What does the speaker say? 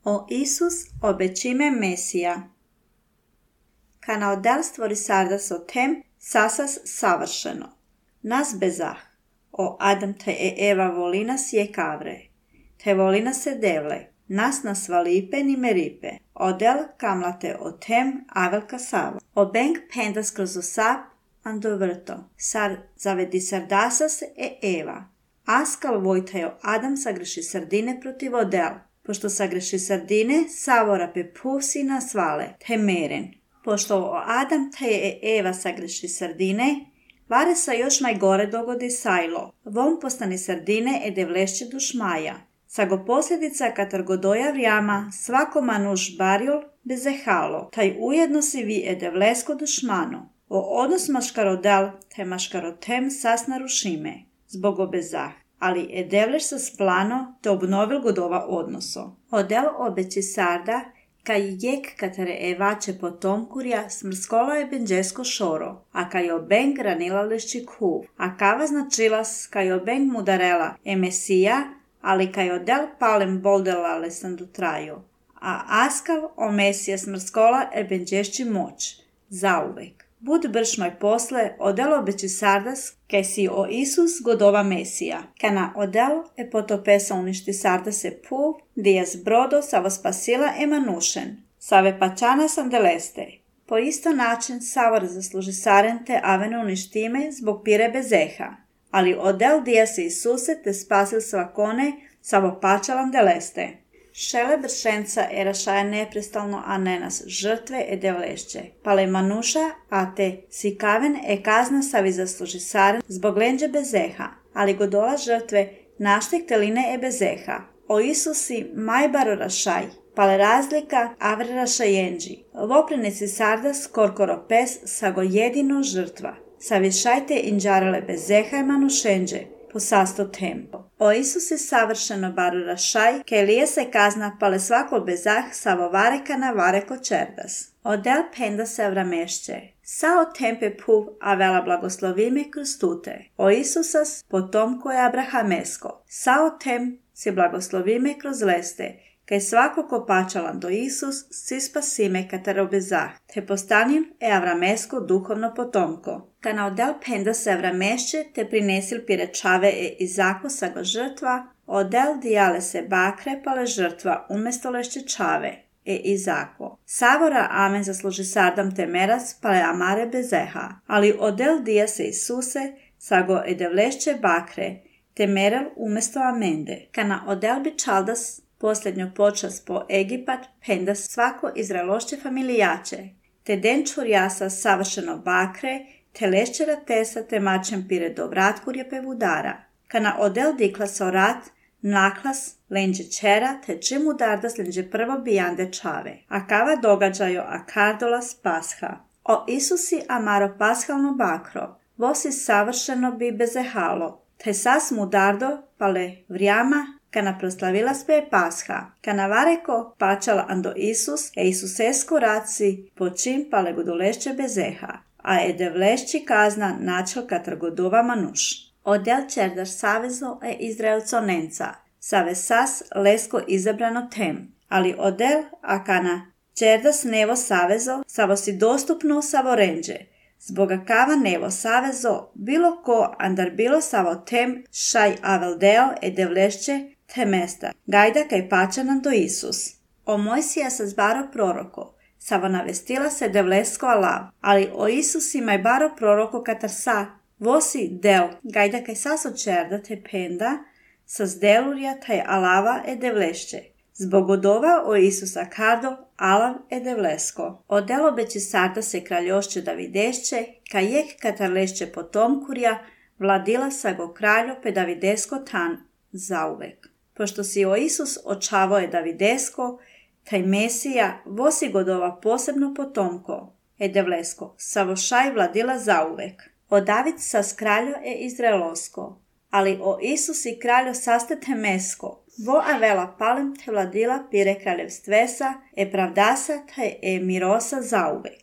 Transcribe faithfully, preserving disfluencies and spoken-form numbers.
O Isus obećime Mesija. Kana odel stvori sardas o tem, sasas savršeno. Nas bezah. O Adam te e Eva volinas je kavre. Te volinas se devle. Nas nas valipe ni meripe. Odel kamlate o tem avelka sava. O benk pendas kroz osap ando vrto. Sar zavedi sardasas e Eva. Askal vojtajo Adam sagreši sardine protiv odel. Pošto sagreši sardine, savora pe pusina svale, te meren. Pošto o Adam te e Eva sagreši sardine, vare sa još najgore dogodi sajlo. Vom postani sardine e devlešće dušmaja. Sago posljedica katar godoja vrijama, svako manuš barjol bezehalo, taj ujedno si vi e devlesko dušmano. O odnos maškarodel te maškarotem sas narušime, zbog obezah. Ali e devleš sa splano te obnovil godova odnoso. Odel obeći sarda, kaj jek katare evače potomkurja smrskola je benđesko šoro, a kaj obeng ranila lešći kuv, a kava značilas kaj obeng mudarela e mesija, ali kaj odel palem boldela lesandu traju, a askav o mesija smrskola e benđešći moć, zauvek. Bud bršmoj posle, odel obeći sardas, kaj si o Isus godova Mesija. Kana odel e potopesa uništi sardase puv, dijas brodo savo spasila e manušen. Save pačana sam deleste. Po isto način savor zasluži saren te avene uništime zbog pire bezeha. Ali odel dija se Isuse te spasil svakone savo pačalan deleste. Šele bršenca e rašaja neprestalno a ne nas žrtve e devlešće. Pale manuša, a te sikaven e kazna savi zasluži saren zbog lenđe bezeha, ali godola žrtve naštek teline e bezeha. O Isusi majbaro rašaj, pale razlika avre rašajenđi. Voprenici sardas korkoro pes sago jedino žrtva. Savišajte inđarale bezeha i manušenđe. Po sasto tempo. O Isuse savršeno baru rašaj, ke lije se kazna pale svako bezah savo vareka na vareko čerdas. Odel penda se vramešće. Sao tempe puv a vela blagoslovime kroz tute. O Isusas potomko je abrahamesko. Sao tem si blagoslovime kroz leste, kaj svako ko pačalan do Isus si spasime katero bezah, te postanin e avramesko duhovno potomko. Kana odel penda se avramešće te prinesil pirečave e Izako sago žrtva, odel dijale se bakre pale žrtva umesto lešće čave e Izako. Savora amen zasluži sardam te meras pale amare bezeha, ali odel dija se Isuse sago e devlešće bakre te merel umesto amende. Kana odel bi čaldas posljednjo počas po Egipat penda svako izraelošće familijače, te den čurjasa savršeno bakre, te lešćera tesa te mačem pire do vratkurje pe vudara. Kana odel dikla so rat, naklas, lenđe čera, te čim udardas lenđe prvo bijande čave. A kava događajo a kardolas pasha. O Isusi amaro pashalno bakro, vosi savršeno bi bezehalo, te sas mudardo pale vrijama, kana proslavila sve pasha, kana vareko pačala ando Isus, e Isusesko raci počim pale godolešće bezeha, a e devlešći kazna načel katar godova manuš. Odel čerdaš savezo e Izraelco nenca, save sas lesko izabrano tem, ali odel a kana čerdas nevo savezo, savo si dostupno savo renđe, zboga kava nevo savezo, bilo ko andar bilo savo tem šaj aveldeo e devlešće te mesta, gajda kaj pačanan do Isus. O Mojsija sa zbaro proroko, savo navestila se devlesko alav, ali o Isus imaj baro proroko katar sa, vosi del, gajda kaj saso čerda te penda, sa zdelurja taj alava e devlešće. Zbog odova o Isusa kardo, alav e devlesko. O del obeći sarda se kraljošće Davidešće, kaj jek katar lešće potomkurja, vladila sago kraljo pe Davidesko tan, zauvek. Pošto si o Isus očavo je Davidesko, taj Mesija vosi godova posebno potomko, e devlesko, savošaj vladila zauvek. O David sas kraljo e Izraelosko, ali o Isus i kraljo saste temesko, vo avela palem te vladila pire kraljevstvesa, e pravdasa te e mirosa zauvek.